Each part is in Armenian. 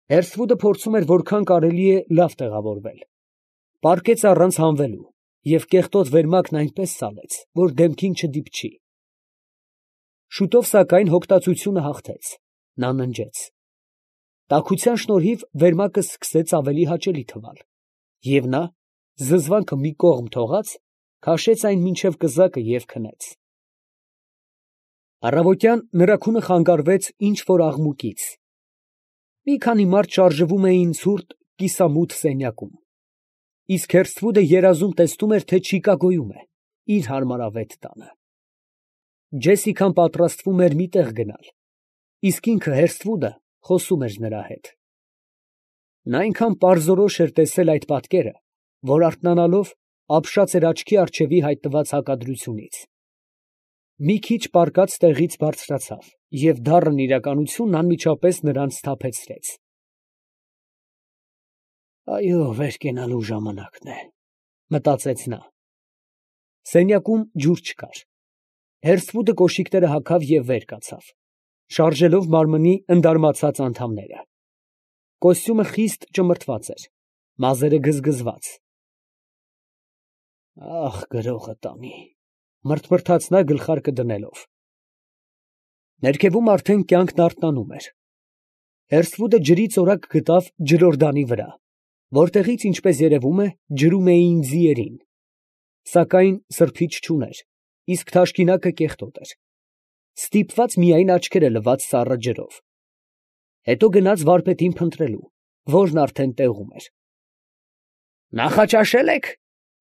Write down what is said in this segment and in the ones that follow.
Հերսվուդը փորձում էր որքան կարելի է լավ տեղավորվել. պառկեց առանց հանվելու և կեղտոտ վերմակն այնպես սալեց, որ դեմքին չդիպչի։ Շուտով, սակայն, հոգտածությունը հաղթեց. նա ննջեց։ Տաքության շնորհիվ վերմակը սկսեց ավելի հաճելի թվալ, և նա, զզվանքը մի կողմ թողած, քաշեց այն մինչև կզակը և քնեց։ Առավոտյան նրա քունը խանգարվեց ինչ֊որ աղմուկից. մի քանի մարդ շարժվում էին ցուրտ, կիսամութ սենյակում, իսկ Հերսթվուդը երազում տեսնում էր, թե Չիկագոյում է, իր հարմարավետ տանը։ Ջեսիկան պատրաստվում էր մի տեղ գնալ, իսկ ինքը, Հերսթվուդը, խոսում էր նրա հետ։ Նա այնքան պարզորոշ էր տեսել այդ պատկերը, որ արթնանալով ապշած էր աչքի առջևի հայտնված հակադրությունից։ Մի քիչ պառկած տեղից բարձրացավ և դառն իրականությունն անմիջապես նրան սթափեցրեց։ «Այո, վեր կենալու ժամանակն է», մտածեց նա։ Սենյակում ջուր չկար։ Հերսթվուդը կոշիկները հագավ և վեր կացավ, շարժելով մարմնի ընդարմացած անդամները։ Կոստյումը խիստ ճմրթված էր, մազերը գզգզված։ «Ախ, գրողը տանի», մռթմռթաց նա գլխարկը դնելով։ Ներքևում արդեն կյանքն արթնանում էր։ Հերսթվուդը ջրի ծորակ գտավ ջրորդանի վրա, որտեղից, ինչպես երևում է, ջրում էին ձիերին, սակայն սրբիչ չուներ, իսկ թաշկինակը կեղտոտ էր, ստիպված միայն աչքերը լվաց սառը ջրով։ Հետո գնաց վարպետին փնտրելու, որն արդեն տեղում էր։ «Նախաճաշե՞լ եք»,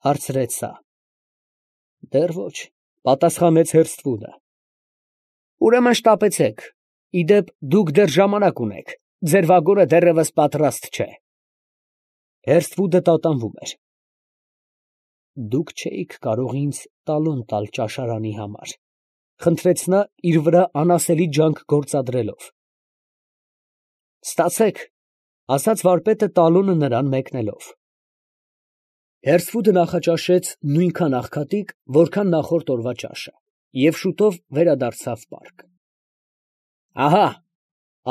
հարցրեց սա։ «Դեռ ոչ», պատասխանեց Հերսթվուդը։ «Ուրեմն շտապեցեք, ի դեպ, դուք դեռ ժամանակ ունեք, ձեր վագոնը դեռևս պատրաստ չէ»։ Հերսթվուդը տատանվում էր։ «Դուք չէիք կարող ինձ տալոն տալ ճաշարանի համար», խնդրեց նա իր վրա անասելի ջանք գործադրելով։ «Ստացեք», ասաց վարպետը տալոնը նրան մեկնելով։ Հերսթվուդը նախաճաշեց նույնքան աղքատիկ, որքան նախորդ օրվա ճաշը, և շուտով վերադարձավ պարկ։ «Ահա»,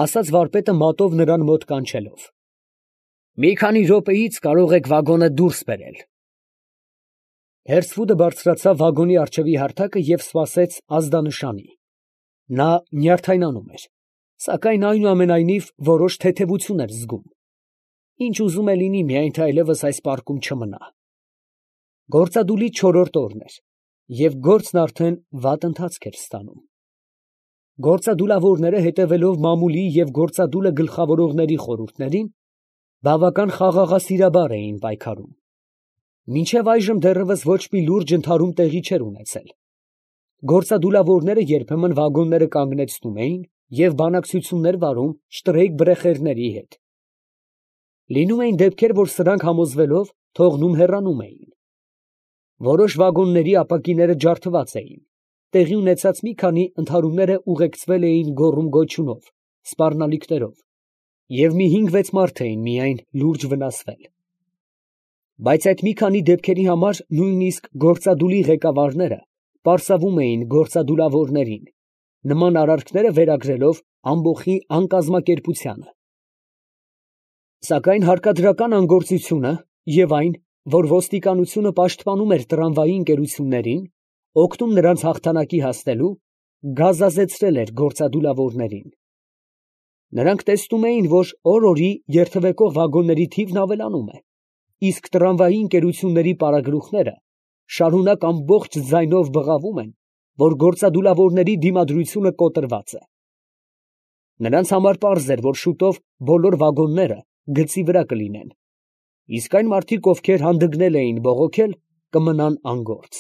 ասաց վարպետը մատով նրան մոտ կանչելով, «մի քանի րոպեից կարող եք վագոնը դուրս բերել»։ Հերսթվուդը բարձրացավ վագոնի առջևի հարթակը և սպասեց ազդանշանի։ Նա նյարդայնանում էր, սակայն այնուամենայնիվ որոշ թեթևություն էր զգում։ Ինչ ուզում է լինի, միայն թե այլևս այս պարկում չմնա։ Գործադուլի չորրորդ օրն էր, և գործն արդեն վատ ընթացք էր ստանում։ Գործադուլավորները, հետևելով մամուլի և գործադուլը գլխավորողների խորհուրդներին, բավական խաղաղասիրաբար էին պայքարում։ Մինչև այժմ դեռևս ոչ մի լուրջ ընդհարում տեղի չէր ունեցել։ Գործադուլավորները երբեմն վագոնները կանգնեցնում էին և բանակցություններ վարում շտրեյք֊բրեխերների հետ։ Լինում էին դեպքեր, որ սրանք համոզվելով թողնում հեռանում էին։ Որոշ վագոնների ապակիները ջարդված էին, տեղի ունեցած մի քանի ընդհարումները ուղեկցվել էին գոռում֊գոչյունով, սպառնալիքներով, և մի 5-6 մարդ էին միայն լուրջ վնասվել։ Բայց այդ մի քանի դեպքերի համար նույնիսկ գործադուլի ղեկավարները պարսավում էին գործադուլավորներին, նման արարքները վերագրելով ամբոխի անկազմակերպությանը։ Սակայն հարկադրական անգործությունը և այն, որ ոստիկանությունը պաշտպանում էր տրամվայի ընկերություններին, օգնում նրանց հաղթանակի հասնելու, գազազեցրել էր գործադուլավորներին։ Նրանք տեսնում էին, որ օր֊օրի երթևեկող վագոնների թիվն ավելանում է, իսկ տրամվայի ընկերությունների պարագլուխները շարունակ ամբողջ ձայնով բղավում են, որ գործադուլավորների դիմադրությունը կոտրված է։ Նրանց համար պարզ էր, որ շուտով բոլոր վագոնները գծի վրա կլինեն, իսկ այն մարդիկ, ովքեր հանդգնել էին բողոքել, կմնան անգործ։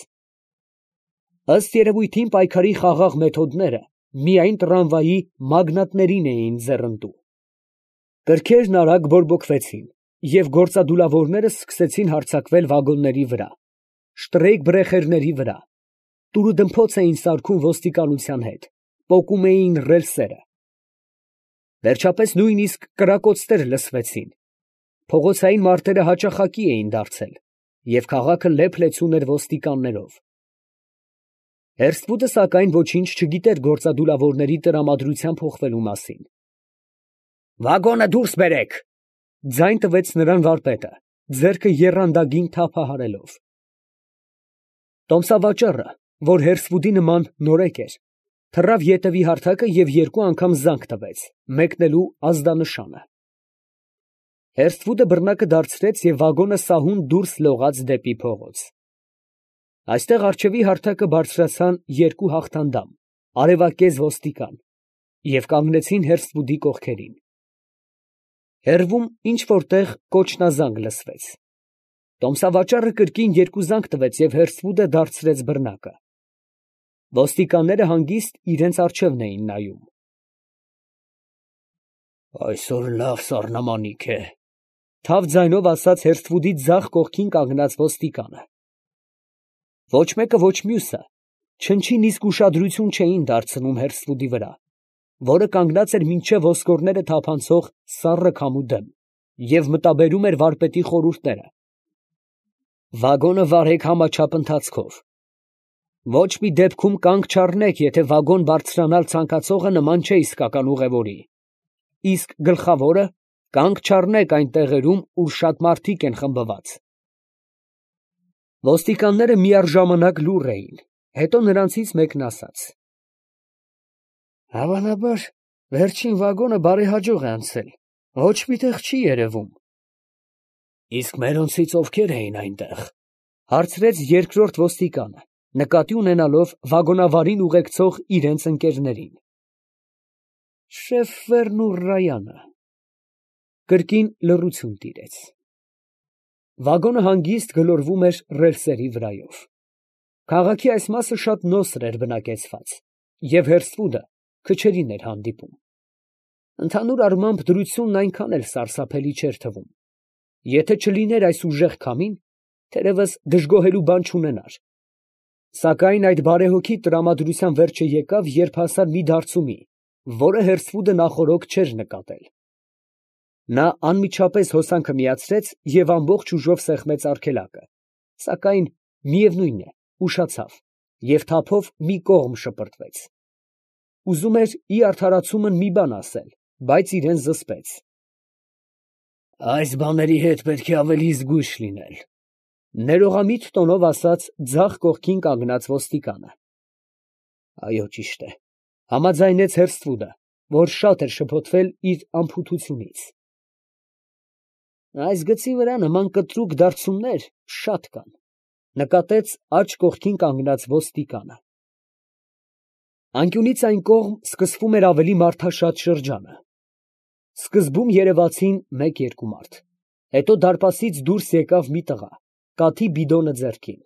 Ըստ երևույթին, պայքարի խաղաղ մեթոդները միայն տրամվայի մագնատներին էին ձեռնտու։ Կրքերն արագ բորբոքվեցին, և գործադուլավորները սկսեցին հարձակվել վագոնների վրա, շտրեյք֊բրեխերների վրա, տուրուդմփոց էին սարքում ոստիկանության հետ, պոկում էին ռելսերը։ Վերջապես նույնիսկ կրակոցներ լսվեցին, փողոցային մարտերը հաճախակի էին դարձել, և քաղաքը լեփ֊լեցուն էր ոստիկաններով։ Հերսթվուդը, սակայն, ոչինչ չգիտեր գործադուլավորների տրամադրության փոխվելու մասին։ «Վագոնը դուրս բերեք», Ձայն տվեց նրան վարպետը, ձեռքը եռանդագին թափահարելով։ Տոմսավաճառը, որ հերսվուդի նման նորեկ էր, թռավ ետևի հարթակը և երկու անգամ զանգ տվեց, մեկնելու ազդանշանը։ Հերսվուդը բռնակը դարձրեց և վագոնը սահուն դուրս լողաց դեպի փողոց։ Այստեղ առջևի հարթակը բարձրացան երկու հաղթանդամ, արևակեզ ոստիկան, և կանգնեցին հերսվուդի կողքերին։ Հեռվում ինչ֊որ տեղ կոչնազանգ լսվեց։ Տոմսավաճառը կրկին երկու զանգ տվեց և հերսվուդը դարձրեց բռնակը։ Ոստիկանները հանգիստ իրանց առջևն էին նայում։ «Այսօր լավ սառնամանիք է», ֊ թավ ձայնով ասաց հերսվուդի ձախ կողքին կանգնած ոստիկանը։ Ոչ մեկը, ոչ մյուսը չնչին իսկ ուշադրություն չէին դարձնում հերսվուդի վրա, որը կանգնած էր մինչև ոսկորները թափանցող սառը քամու դեմ և մտաբերում էր վարպետի խորհուրդները։ Վագոնը վարեք համաչափ ընթացքով։ Ոչ մի դեպքում կանգ չառնեք, եթե վագոն բարձրանալ ցանկացողը նման չէ իսկական ուղևորի, իսկ գլխավորը կանգ չառնեք այն տեղերում, ուր շատ մարդիկ են խմբված։ Ոստիկանները միառժամանակ լուռ էին, հետո նրանցից մեկն ասաց. «Հավանաբար վերջին վագոնը բարեհաջող է անցել, ոչ մի տեղ չի երևում»։ «Իսկ մերոնցից ովքեր էին այնտեղ», ֊ հարցրեց երկրորդ ոստիկանը, նկատի ունենալով վագոնավարին ուղեկցող իրենց ընկերներին։ «Շեֆերն ու Ռայանը»։ Կրկին լռություն տիրեց։ Վագոնը հանգիստ գլորվում էր ռելսերի վրայով։ Քաղաքի այս մասը շատ նոսր էր բնակեցված, և հերսվուդը քչերին էր հանդիպում։ Ընդհանուր առմամբ դրությունն այնքան էլ սարսափելի չէր թվում։ Եթե չլիներ այս ուժեղ քամին, թերևս դժգոհելու բան չունենար։ Սակայն այդ բարեհոգի տրամադրության վերջը եկավ, երբ հասան մի դարծումի, որը հերսվուդը նախօրոք չէր նկատել։ Նա անմիջապես հոսանքը միացրեց և ամբողջ ուժով սեղմեց արգելակը, սակայն, միևնույն է, ուշացավ և թափով մի կողմ շպրտվեց։ Ուզում էր ի արդարացումն մի բան ասել, բայց իրան զսպեց։ «Այս բաների հետ պետք է ավելի զգույշ լինել», ֊ ներողամիտ տոնով ասաց ձախ կողքին կանգնած ոստիկանը։ «Այո, ճիշտ է», ֊ համաձայնեց հերսվուդը, որ շատ էր շփոթվել իր անփութությունից։ «Այս գծի վրա նման կտրուկ դարցումներ շատ կան», ֊ նկատեց աջ կողքին կանգնած ոստիկանը։ Անկյունից այն կողմ սկսվում էր ավելի մարդաշատ շրջանը։ Սկզբում երևացին մեկ֊երկու մարդ, հետո դարպասից դուրս եկավ մի տղա, կաթի բիդոնը ձեռքին։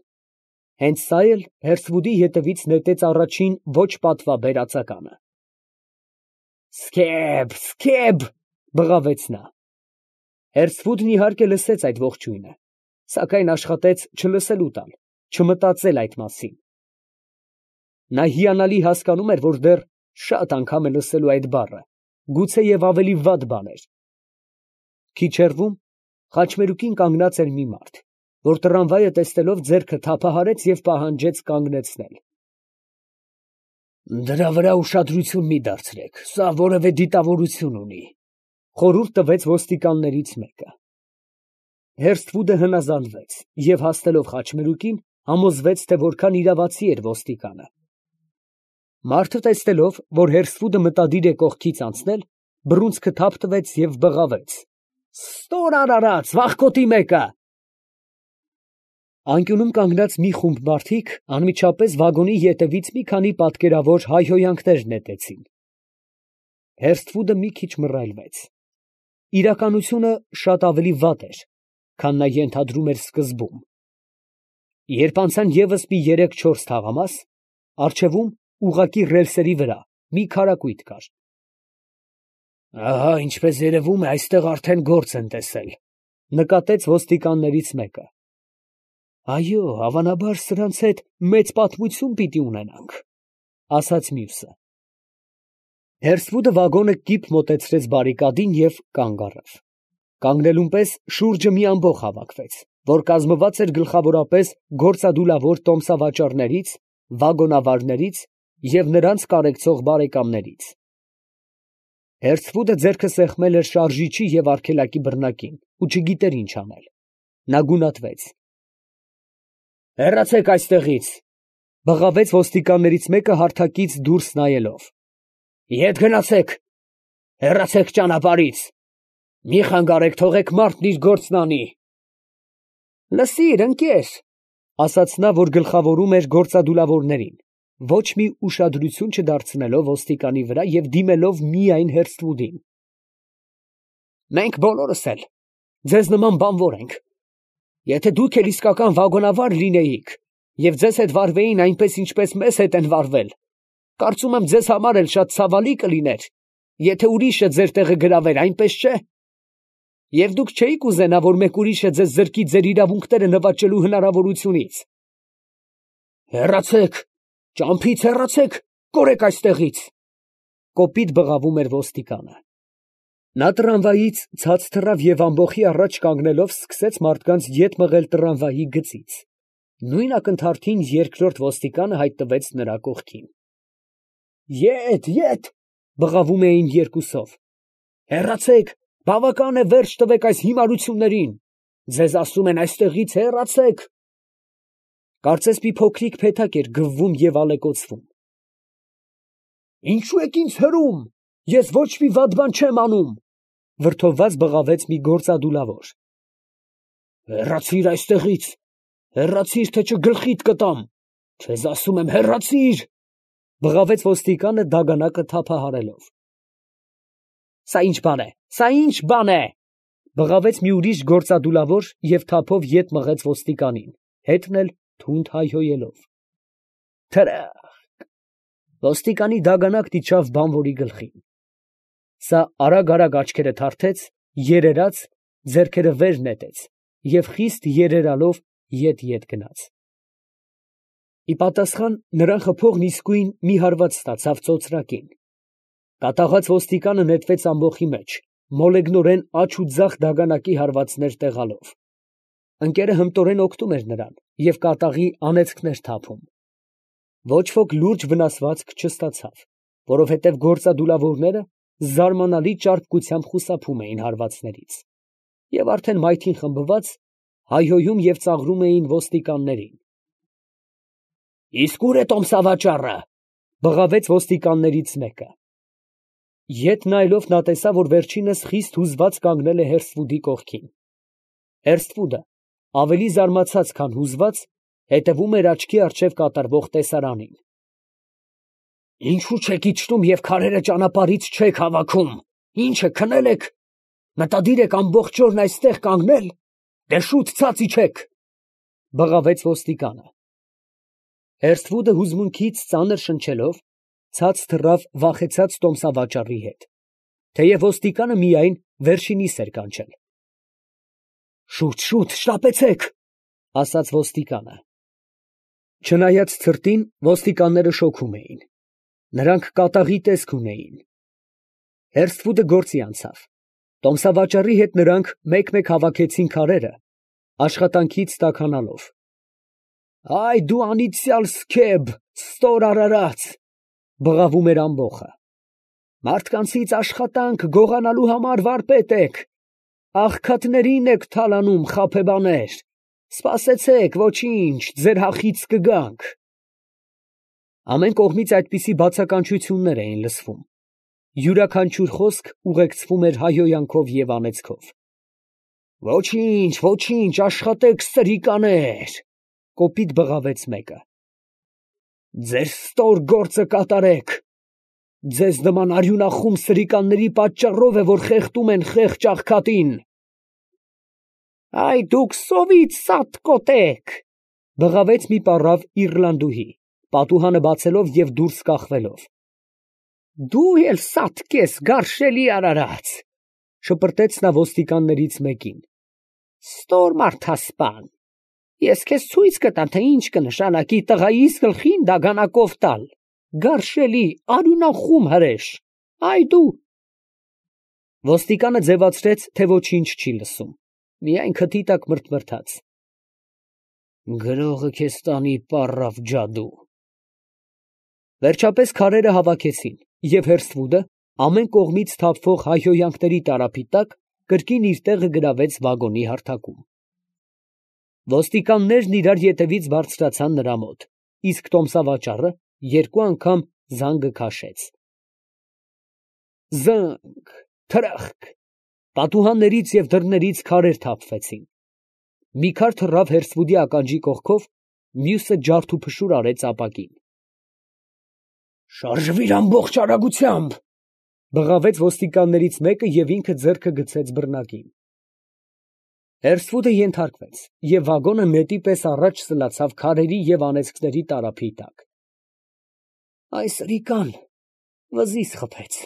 Հենց սա էլ հերսվուդի ետևից նետեց առաջին ոչ պատվաբեր ածականը։ «Սկեբ, սկեբ», բղավեց նա։ Հերսվուդն իհարկե լսեց այդ ողջույնը, սակայն աշխատեց չլսելու տալ, չմտածել այդ մասին։ Նա հիանալի հասկանում էր, որ դեռ շատ անգամ է լսելու այդ բառը, գուցեև ավելի վատ բաներ։ Քիչ հեռվում խաչմերուկին կանգնած էր մի մարդ, որ տրամվայը տեսնելով ձեռքը թափահարեց և պահանջեց կանգնեցնել։ «Դրա վրա ուշադրություն մի դարձրեք, սա որևէ դիտավորություն ունի», ֊ խորհուրդ տվեց ոստիկաններից մեկը։ Հերսվուդը հնազանդվեց և, հասնելով խաչմերուկին, համոզվեց, թե որքան իրավացի էր ոստիկանը։ Մարդը տեսնելով, որ հերսվուդը մտադիր է կողքից անցնել, բռունցքը թափ տվեց և բղավեց. «Ստոր արարած, վախկոտի մեկը»։ Անկյունում կանգնած մի խումբ մարդիկ անմիջապես վագոնի ետևից մի քանի պատկերավոր հայհոյանքներ նետեցին։ Հերսվուդը մի քիչ մռայլվեց։ Իրականությունը շատ ավելի վատ էր, քան նա ենթադրում էր սկզբում։ Երբ անցան ևս մի 3-4 թաղամաս, առջևում, ուղղակի ռելսերի վրա, մի քարակույտ կար։ «Ահա, ինչպես երևում է, այստեղ արդեն գործ են տեսել», ֊ նկատեց ոստիկաններից մեկը։ «Այո, հավանաբար սրանց հետ մեծ պատմություն պիտի ունենանք», ֊ ասաց մյուսը։ Հերսվուդը վագոնը կիպ մոտեցրեց բարիկադին և կանգ առավ։ Կանգնելուն պես շուրջը մի ամբոխ հավաքվեց, որ կազմված էր գլխավորապես գործադուլավոր տոմսավաճառներից, վագոնավարներից և նրանց կարեկցող բարեկամներից։ Հերցվուդը ձեռքը սեղմել էր շարժիչի և արգելակի բռնակին ու չգիտեր ինչ անել. նա գունատվեց։ «Հեռացեք այստեղից», բղավեց ոստիկաններից մեկը հարթակից դուրս նայելով։ «Ետ գնացեք, հեռացեք ճանապարհից, մի խանգարեք, թողեք մարդն իր գործն անի»։ «Լսիր, ընկեր», ասաց նա, որ գլխավորում էր գործադուլավորներին, ոչ մի ուշադրություն չդարձնելով ոստիկանի վրա և դիմելով միայն Հերսթվուդին։ «Մենք բոլորս էլ ձեզ նման բանվոր ենք։ Եթե դուք էլ իսկական վագոնավար լինեիք և ձեզ հետ վարվեին այնպես, ինչպես մեզ հետ են վարվել, կարծում եմ ձեզ համար էլ շատ ցավալի կլիներ, եթե ուրիշը ձեր տեղը գրավեր, այնպես չէ։ Եվ դուք չէիք ուզենա, որ մեկ ուրիշը ձեզ զրկի ձեր իրավունքները նվաճելու հնարավորությունից։ Հեռացեք, ճամփից հեռացեք, կորեք այստեղից», կոպիտ բղավում էր ոստիկանը։ Նա տրամվայից ցած թռավ և ամբոխի առաջ կանգնելով սկսեց մարդկանց ետ մղել տրամվայի գծից։ Նույն ակնթարթին երկրորդ ոստիկանը հայտնվեց նրա կողքին։ «Ետ, բղավում էին երկուսով։ «Հեռացեք, բավական է, վերջ տվեք այս հիմարություններին։ Ձեզ ասում են այստեղից հեռացեք»։ Կարծես մի փոքրիկ փեթակ էր գվվում և ալեկոծվում։ «Ինչու եք ինձ հրում, ես ոչ մի վատ բան չեմ անում», վրդովված բղավեց մի գործադուլավոր։ «Հեռացիր այստեղից, հեռացիր, թե չգլխիդ կտամ, քեզ ասում եմ հեռացիր», բղավեց ոստիկանը դագանակը թափահարելով։ «Սա ինչ բան է, բղավեց մի ուրիշ գործադուլավոր և թափով ետ մղեց ոստիկանին, հետն էլ թունդ հայհոյելով։ Թրախկ, ոստիկանի դագանակն իջավ բանվորի գլխին։ Սա արագ աչքերը թարթեց, երերաց, ձեռքերը վեր նետեց և խիստ երերալով ետ գնաց։ Ի պատասխան նրան խփողն իսկույն մի հարված ստացավ ծոծրակին։ Կատաղած ոստիկանը նետվեց ամբոխի մեջ, մոլեգնորեն աջ ու ձախ դագանակի հարվածներ տեղալով։ Ընկերը հմտորեն օգնում էր նրան և կատաղի անեծքներ թափում։ Ոչ ոք լուրջ վնասվածք չստացավ, որովհետև գործադուլավորները զարմանալի ճարպկությամբ խուսափում էին հարվածներից և արդեն մայթին խմբված հայհոյում և ծաղրում էին ոստիկաններին։ «Իսկ ո՞ւր է տոմսավաճառը», բղավեց ոստիկաններից մեկը։ Ետ նայելով նա տեսավ, որ վերջինս խիստ հուզված կանգնել է Հերսթվուդի կողքին։ Հերսթվուդը, ավելի զարմացած, քան հուզված, հետևում էր աչքի առջև կատարվող տեսարանին։ «Ինչո՞ւ չեք իջնում և քարերը ճանապարհից չեք հավաքում, ի՞նչ է, քնել եք, մտադիր եք ամբողջ օրն այստեղ կանգնել, դե շուտ ցած իջեք», բղավեց ոստիկանը։ Հերսթվուդը հուզմունքից ծանր շնչելով ցած թռավ վախեցած տոմսավաճառի հետ, թեև ոստիկանը միայն վերջինիս էր կանչել։ «Շուտ, շտապեցեք», ասաց ոստիկանը։ Չնայած ցրտին, ոստիկանները շոքում էին։ Նրանք կատաղի տեսք ունեին։ Հերսթվուդը գործի անցավ։ Տոմսավաճառի հետ նրանք մեկ-մեկ հավաքեցին քարերը, աշխատանքից տաքանալով։ «Այ դու անիծյալ սքեբ, ստոր արարած», բղավում էր ամբոխը։ «Մարդկանցից աշխատանք գողանալու համար վարպետ եք, աղքատներին եք թալանում, խաբեբաներ, սպասեցեք, ոչինչ, ձեր հախից կգանք»։ Ամեն կողմից այդպիսի բացականչություններ էին լսվում։ Յուրաքանչյուր խոսք ուղեկցվում էր հայհոյանքով և անեծքով։ «Ոչինչ, աշխատեք, սրիկաներ», կոպիտ բղավեց մեկը։ «Ձեր ստոր գործը կատարեք։ Ձեզ նման արյունախում սրիկանների պատճառով է, որ խեղդում են խեղճ աղքատին»։ «Այ դուք սովից սատկոտ եք», բղավեց մի պառավ իռլանդուհի, պատուհանը բացելով և դուրս կախվելով։ «Դու էլ սատկ ես, գարշելի արարած», շպրտեց նա ոստիկաններից մեկին։ «Ստոր մարդասպան, ես քեզ ցույց կտամ, թե ինչ կնշանակի տղայիս գլխին դագանակով տալ, գարշելի արյունախում հրեշ, այ դու»։ Ոստիկանը ձևացրեց, թե ոչինչ չի լսում, միայն քթի տակ մրթմրթաց։ «Գրողը քեզ տանի, պառավ ջադու»։ Վերջապես քարերը հավաքեցին, և Հերսթվուդը, Ամեն կողմից թափվող հայհոյանքների տարափի տակ կրկին իր տեղը գրավեց վագոնի հարթակում։ Ոստիկաններն իրար ետևից բարձրացան նրա մոտ, իսկ տոմսավաճառը երկու անգամ զանգը քաշեց։ Զը՜նգ, թրախկ, պատուհաններից և դռներից քարեր թափվեցին։ Մի քար թռավ հերսվուդի ականջի կողքով, մյուսը ջարդուփշուր արեց ապակին։ «Շարժվիր ամբողջ արագությամբ», բղավեց ոստիկաններից մեկը և ինքը ձեռքը գցեց բռնակին։ Հերսվուդը ենթարկվեց, և վագոնը նետի պես առաջ սլացավ քարերի և անեծքների տարափի տակ։ «Այս սրիկան վզից խփեց,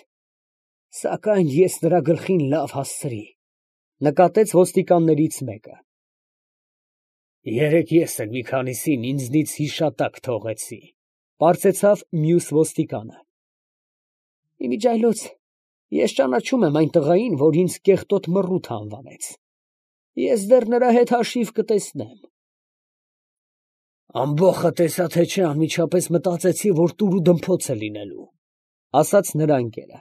սակայն ես նրա գլխին լավ հասցրի», ֊ նկատեց ոստիկաններից մեկը։ «Երեկ ես էլ մի քանիսին ինձնից հիշատակ թողեցի», ֊ պարծեցավ մյուս ոստիկանը։ «Իմիջիայլոց ես ճանաչում եմ այն տղային, որ ինձ կեղտոտ մռութ անվանեց. ես դեռ նրա հետ հաշիվ կտեսնեմ»։ «Ամբոխը տեսա թե չէ, անմիջապես մտածեցի, որ տուր ու դմփոց է լինելու», ֊ ասաց նրա ընկերը։